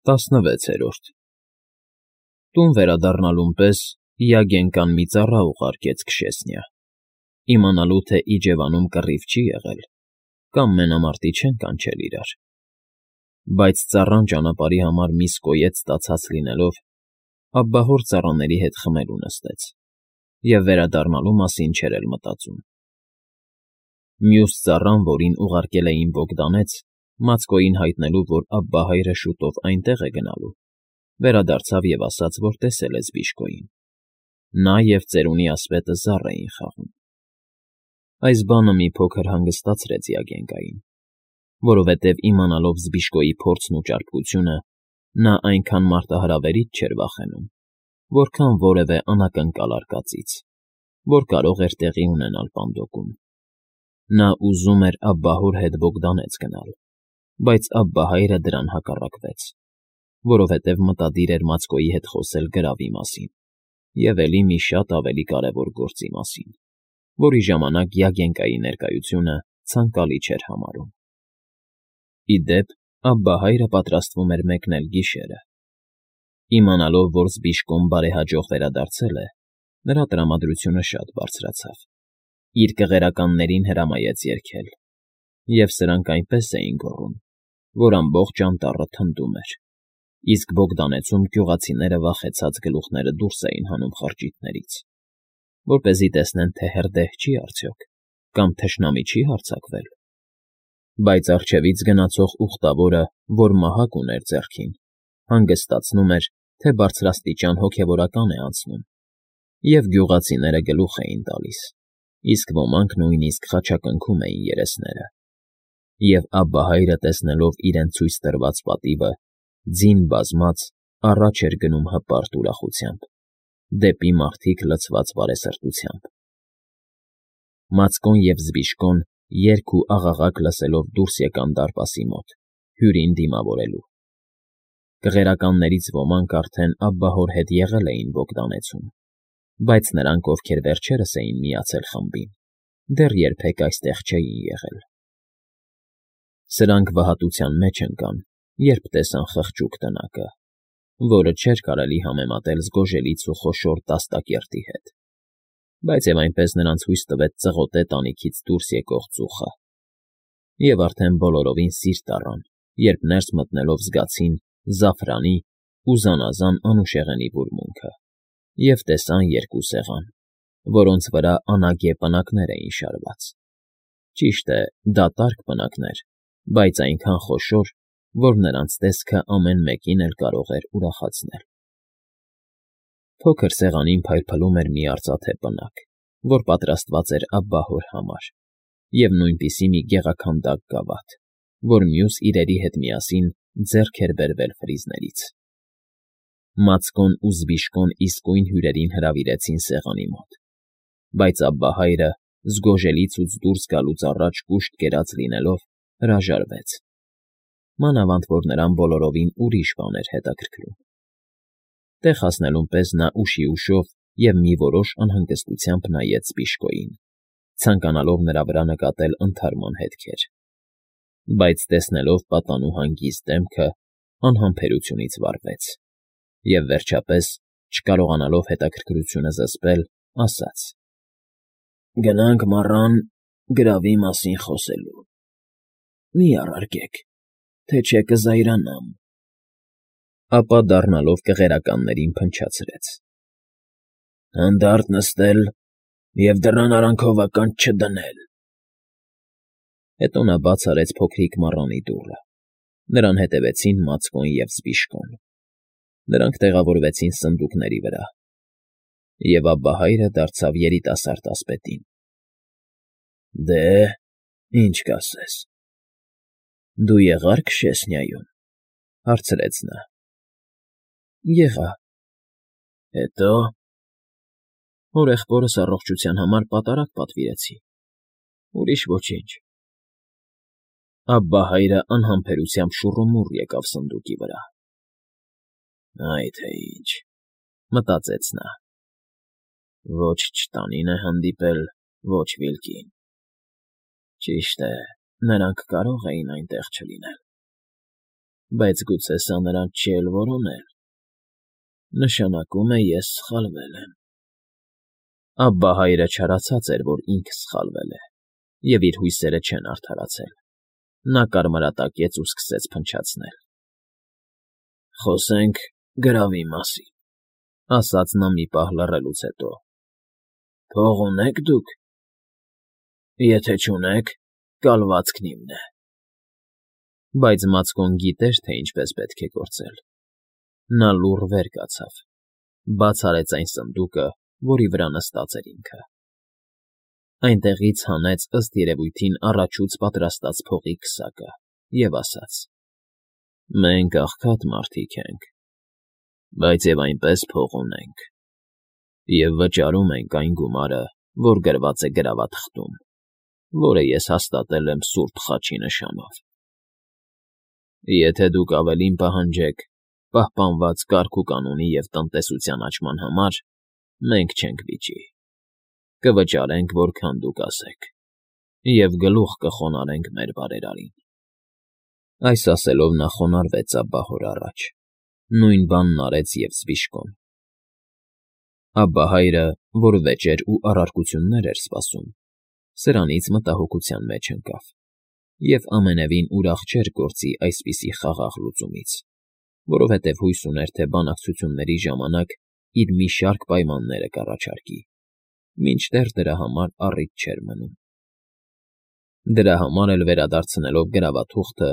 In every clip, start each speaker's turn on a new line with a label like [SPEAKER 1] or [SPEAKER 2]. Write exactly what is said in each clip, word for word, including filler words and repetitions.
[SPEAKER 1] ՏԱՍՆՎԵՑԵՐՈՐԴ Տուն վերադառնալուն պես Յագենկան մի ծառա ուղարկեց Քշեսնյա, իմանալու թե իջևանում կռիվ չի եղել կամ մենամարտի չեն կանչել իրար, բայց ծառան ճանապարհի համար միս կոյետ ստացած լինելով, ափբահոր ծառաների հետ խմելու նստեց և վերադառնալու մասին չէր էլ մտածում։ Մյուս ծառան, որին ուղարկել էին Բոգդանեց, Մացկոյին հայտնելու, որ ափբահայրը շուտով այնտեղ է գնալու, վերադարձավ և ասաց, որ տեսել է Զբիշկոյին. նա և ծերունի ասպետը զառ էին խաղում։ Այս բանը մի փոքր հանգստացրեց Յագենկային, որովհետև իմանալով Զբիշկոյի փորձն ու ճարպկությունը, նա այնքան մարտահրավերից չէր վախենում, որքան որևէ անակնկալ արկածից, որ կարող էր տեղի ունենալ Պանդոկում։ Նա ուզում էր ափբահոր հետ Բոգդանեց գնալ, բայց ափբահայրը դրան հակառակվեց, որովհետև մտադիր էր Մացկոյի հետ խոսել գրավի մասին և էլի մի շատ ավելի կարևոր գործի մասին, որի ժամանակ Յագենկայի ներկայությունը ցանկալի չէր համարում։ Ի դեպ, ափբահայրը պատրաստվում էր մեկնել գիշերը։ Իմանալով, որ Զբիշկոն բարեհաջող վերադարձել է, նրա տրամադրությունը շատ բարձրացավ, իր կղերականներին հրամայեց երգել, և սրանք այնպես էին գոռում, որ ամբողջ անտառը թնդում էր, իսկ Բոգդանեցում գյուղացիները վախեցած գլուխները դուրս էին հանում խրճիթներից, որպեսզի տեսնեն, թե հրդեհ չի արդյոք կամ թշնամի չի հարձակվել։ Բայց առջևից գնացող ուխտավորը, որ մահակ ուներ ձեռքին, հանգստացնում էր, թե բարձրաստիճան հոգևորական է անցնում, և գյուղացիները գլուխ էին տալիս, իսկ ոմանք նույնիսկ խաչակնքում էին երեսները, և ափբահայրը, տեսնելով իրենց ցույց տրված պատիվը, ձին բազմած առաջ էր գնում հպարտ ուրախությամբ, դեպի մարդիկ լցված բարեսրտությամբ։ Մացկոն և Զբիշկոն երգ ու աղաղակ լսելով դուրս եկան դարպասի մոտ, հյուրին դիմավորելու։ Կղերականներից ոմանք արդեն ափբահոր հետ եղել էին Բոգդանեցում, բայց նրանք, ովքեր վերջերս էին միացել խմբին, դեռ երբեք այստեղ չէին եղել։ Սրանք վհատության մեջ ընկան, երբ տեսան խղճուկ տնակը, որը չէր կարելի համեմատել զգոժելից ու խոշոր տաստակերտի հետ, բայց և այնպես նրանց հույս տվեց ծղոտե տանիքից դուրս եկող ծուխը, և արդեն բոլորովին սիրտ առան, երբ ներս մտնելով զգացին զաֆրանի ու զանազան անուշեղենի բուրմունքը և տեսան երկու սեղան, որոնց վրա անագե պնակներ էին շարված։ Ճիշտ է, դատարկ պնակներ, բայց այնքան խոշոր, որ նրանց տեսքը ամեն մեկին էլ կարող էր ուրախացնել։ Փոքր սեղանին փայլփլում էր մի արծաթե պնակ, որ պատրաստված էր ափբահոր համար, և նույնպիսի մի գեղաքանդակ գավաթ, որ մյուս իրերի հետ միասին ձեռք էր բերվել ֆրիզներից։ Մացկոն ու Զբիշկոն իսկույն հյուրերին հրավիրեցին սեղանի մոտ, բայց ափբահայրը, զգոժելիցուց դուրս գալուց առաջ կուշտ կերած լինելով, հրաժարվեց, մանավանդ որ նրան բոլորովին ուրիշ բան էր հետաքրքրում։ Տեղ հասնելուն պես նա ուշի ուշով և մի որոշ անհանգստությամբ նայեց Զբիշկոյին, ցանկանալով նրա վրա նկատել ընդհարման հետքեր, բայց տեսնելով պատանու հանգիստ դեմքը, անհամբերությունից վառվեց և, վերջապես, չկարողանալով հետաքրքրությունը զսպել, ասաց. «Գնանք, մառան, գրավի մասին խոսելու։ Մի առարկեք, թե չէ կզայրանամ»։ Ապա դառնալով կղերականներին փնչացրեց. «Հանդարտ նստել և դռան արանքով ականջ չդնել»։ Հետո նա բաց արեց փոքրիկ մառանի դուռը, նրան հետևեցին Մացկոն և Զբիշկոն։ Նրանք տեղավորվեցին սնդուկների վրա, և ափբահայրը դարձավ երիտասարդ ասպետին. «Դե՞, ինչ կասես»։ «Դու եղա՞ր Քշեսնյայում»։ հարցրեց նա։ «Եղա»։ «Հետո՞»։ «Հորեղբորս առողջության համար պատարագ պատվիրեցի, ուրիշ ոչինչ»։ Ափբահայրը անհամբերությամբ շուռումուռ եկավ սնդուկի վրա։ «Այ թե ինչ», մտածեց նա, «ոչ չտանին է հանդիպել, ոչ Վիլկին։ Ճիշտ է, նրանք կարող էին այնտեղ չլինել»։ Բայց գուցե սա նրանց չի էլ որոնել, նշանակում է ես սխալվել եմ… Աբբա հայրը չարացած էր, որ ինքը սխալվել է, և իր հույսերը չեն արդարացել. նա կարմրատակեց ու սկսեց փնչացնել։ ֊ Խոսենք գրավի մասին,֊ ասաց նա մի պահ լռելուց հետո։֊ Փող ունե՞ք դուք։ Եթե չունեք, կալվածքն իմն է… Բայց Մացկոն գիտեր, թե ինչպես պետք է գործել։ Նա լուռ վեր կացավ, բաց արեց այն սնդուկը, որի վրա նստած էր ինքը, այնտեղից հանեց ըստ երևույթին առաջուց պատրաստած փողի քսակը և ասաց. «Մենք աղքատ մարդիկ ենք, բայց և այնպես փող ունենք, և վճարում ենք այն գումարը, որ գրված է գրավաթղթում, որը ես հաստատել եմ սուրբ խաչի նշանով… Եթե դուք ավելին պահանջեք պահպանված կարգ ու կանոնի և տնտեսության աճման համար, մենք չենք վիճի, կվճարենք, որքան դուք ասեք, և գլուխ կխոնարհենք մեր բարերարին»։ Այս ասելով նա խոնարհվեց Աբբա հոր առաջ, նույն բանն արեց և զբիշկոն։ Աբբա հայրը, որ վեճեր ու առարկություններ էր սպասում, սրանից մտահոգության մեջ ընկավ և ամենևին ուրախ չէր գործի այսպիսի խաղաղ լուծումից, որովհետև հույս ուներ, թե բանակցությունների ժամանակ իր մի շարք պայմանները կառաջարկի, մինչդեռ դրա համար առիթ չէր մնում։ Դրա համար էլ վերադարձնելով գրավաթուղթը,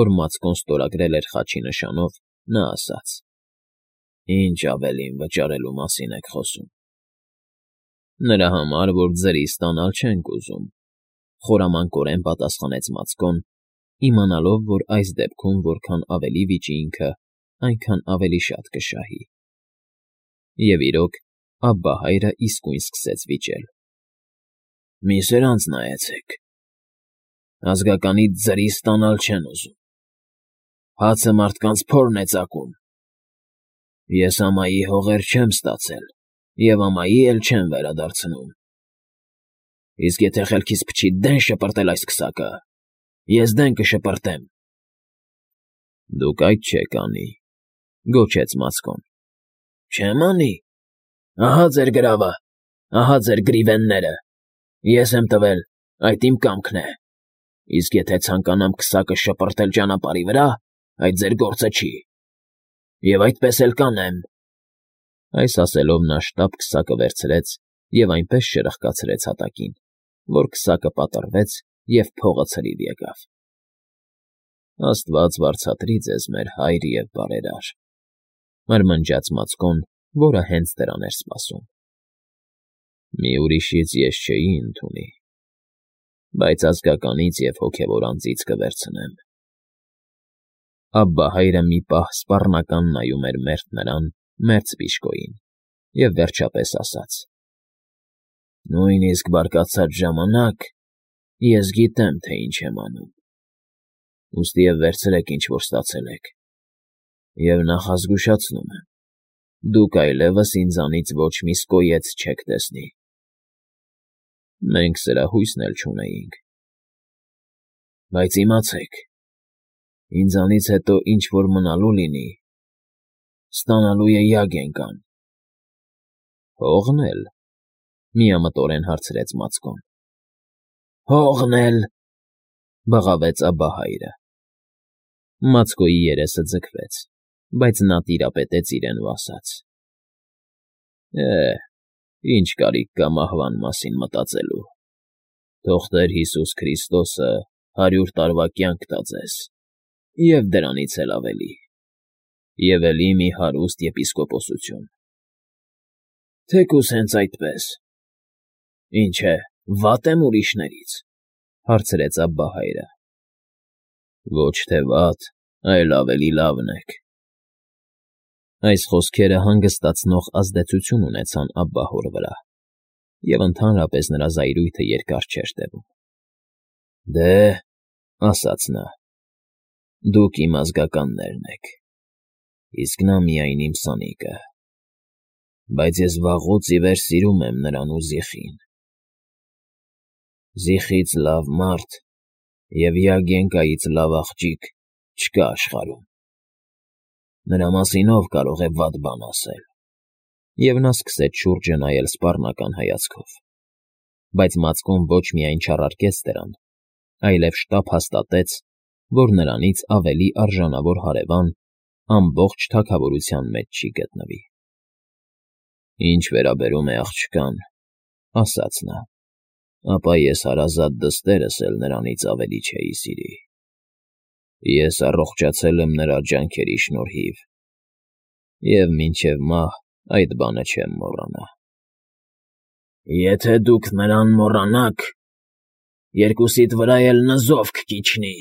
[SPEAKER 1] որ Մացկոն ստորագրել էր խաչի նշանով, նա ասաց. «Ինչ ավելին վճարելու մասին եք խոսում»։ «Նրա համար, որ ձրի ստանալ չենք ուզում,֊ խորամանկորեն պատասխանեց Մացկոն, իմանալով, որ այս դեպքում որքան ավելի վիճի ինքը, այնքան ավելի շատ կշահի։ Եվ իրոք, Աբբա հայրը իսկույն սկսեց վիճել։ «Մի սրանց նայեցեք… Ազգականից ձրի ստանալ չեն ուզում, հացը մարդկանց փորն է ծակում… Ես ամայի հողեր չեմ ստացել և ամայի էլ չեմ վերադարձնում… Իսկ եթե խելքիս փչի դեն շպրտել այս քսակը, ես դեն կշպրտեմ»։ «Դուք այդ չեք անի,֊ գոչեց Մացկոն։ «Չեմ անի… Ահա ձեր գրավը, ահա ձեր գրիվենները… Ես եմ տվել, այդ իմ կամքն է… Իսկ եթե ցանկանամ քսակը շպրտել ճանապարհի վրա, այդ ձեր գործը չի… Եվ այդպես էլ կանեմ…»։ Այս ասելով նա շտապ քսակը վերցրեց և այնպես շրխկացրեց հատակին, որ քսակը պատռվեց և փողը ցրիվ եկավ։ «Աստված վարձատրի ձեզ, մեր հայր և բարերար,֊ մրմնջաց Մացկոն, որը հենց դրան էր սպասում։ Մի ուրիշից ես չէի ընդունի, բայց ազգականից և հոգևոր անձից կվերցնեմ»։ Աբբա հայրը մի պահ սպառնական նայում էր մերթ նրան, մերթ սպիշկոյին և վերջապես ասաց. «Նույնիսկ բարկացած ժամանակ ես գիտեմ, թե ինչ եմ անում… Ուստիև վերցրեք, ինչ որ ստացել եք, և նախազգուշացնում եմ. դուք այլևս ինձանից ոչ մի սկոյեց չեք տեսնի»։ Մենք սրա հույսն էլ չունեինք։ «Բայց իմացեք, ինձանից հետո ինչ որ մնալու լինի, ստանալու է Յագենկան»։ «Փողն էլ,֊ միամտորեն հարցրեց Մացկոն։ «Հողն էլ,֊ բղավեց Աբբա հայրը։ Մացկոյի երեսը ձգվեց, բայց նա տիրապետեց իրեն ու ասաց. «Է՜, ինչ կարիք կա մահվան մասին մտածելու… Թող Տեր Հիսուս Քրիստոսը հարյուր տարվա կյանք տա ձեզ, և դրանից էլ ավելի, և էլի մի հարուստ եպիսկոպոսություն»։ «Թեկուզ հենց այդպես… Ինչ է, վա՞տ եմ ուրիշներից,֊ հարցրեց Աբբա հայրը։ «Ոչ թե վատ, այլ ավելի լավն եք»։ Այս խոսքերը հանգստացնող ազդեցություն ունեցան Աբբա հոր վրա, և ընդհանրապես նրա զայրույթը երկար չէր տևում։ «Դե,֊ ասաց նա,֊ դուք իմ ազգականներն եք, իսկ նա միայն իմ սանիկը… Բայց ես վաղուց ի վեր սիրում եմ նրան ու Զիխին… Զիխից լավ մարդ և Յագենկայից լավ աղջիկ չկա աշխարհում»։ Նրա մասին ով կարող է վատ բան ասել։ Եվ նա սկսեց շուրջը նայել սպառնական հայացքով, բայց մածկուն ոչ միայն չառարկեց դրան, այլև շտապ հաստատեց, որ նրանից ավելի արժանավոր հարևան ամբողջ թագավորության մեջ չի գտնվի։ «Ինչ վերաբերում է աղջկան,֊ ասաց նա,֊ ապա ես հարազատ դստերս էլ նրանից ավելի չէի սիրի։ Ես առողջացել եմ նրա ջանքերի շնորհիվ և մինչև մահ այդ բանը չեմ մոռանա»։ «Եթե դուք նրան մոռանաք, երկուսիդ վրա էլ նզով կկիջնի,֊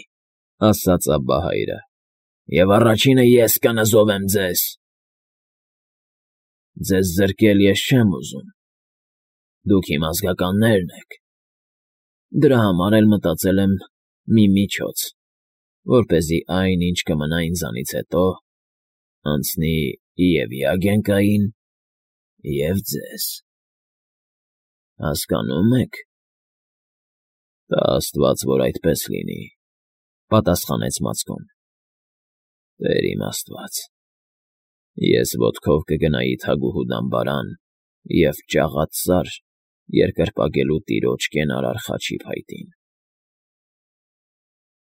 [SPEAKER 1] ասաց Աբբահայրը,֊ և առաջինը ես կնզովեմ ձեզ։ Ձեզ զրկել ես չեմ ուզում, դուք իմ ազգականներն եք, դրա համար էլ մտածել եմ մի միջոց, որպեսզի այն, ինչ կմնա ինձանից հետո, անցնի և՛ Յագենկային, և՛ ձեզ։ Հասկանո՞ւմ եք»։ «Տա աստված, որ այդպես լինի,֊ պատասխանեց մածկուն։ Տեր իմ աստված, ես ոտքով կգնայի թագուհու դամբարան և ճաղած սար երկրպագելու տիրոջ կենարար խաչի փայտին»։